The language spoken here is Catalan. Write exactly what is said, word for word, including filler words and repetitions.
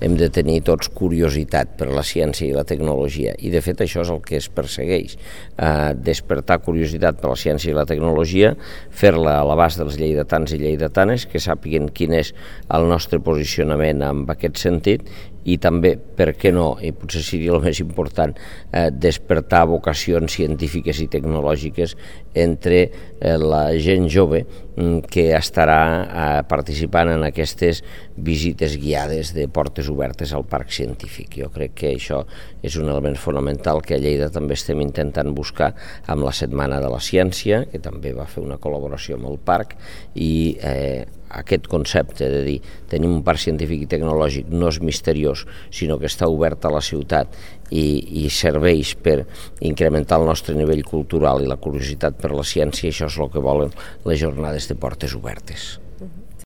hem de tenir tots curiositat per la ciència i la tecnologia, i de fet això és el que es persegueix, eh, despertar curiositat per la ciència i la tecnologia, fer-la a l'abast dels lleidatans i lleidatanes, que sàpiguen quin és el nostre posicionament en aquest sentit, i també, per què no, i potser seria el més important, eh, despertar vocacions científiques i tecnològiques entre eh, la gent jove que estarà eh, participant en aquestes visites guiades de portes obertes al Parc Científic. Jo crec que això és un element fonamental que a Lleida també estem intentant buscar amb la Setmana de la Ciència, que també va fer una col·laboració amb el parc, i eh, aquest concepte de dir tenim un parc científic i tecnològic no és misteriós, sinó que està obert a la ciutat i, i serveix per incrementar el nostre nivell cultural i la curiositat per la ciència, i això és el que volen les jornades de portes obertes.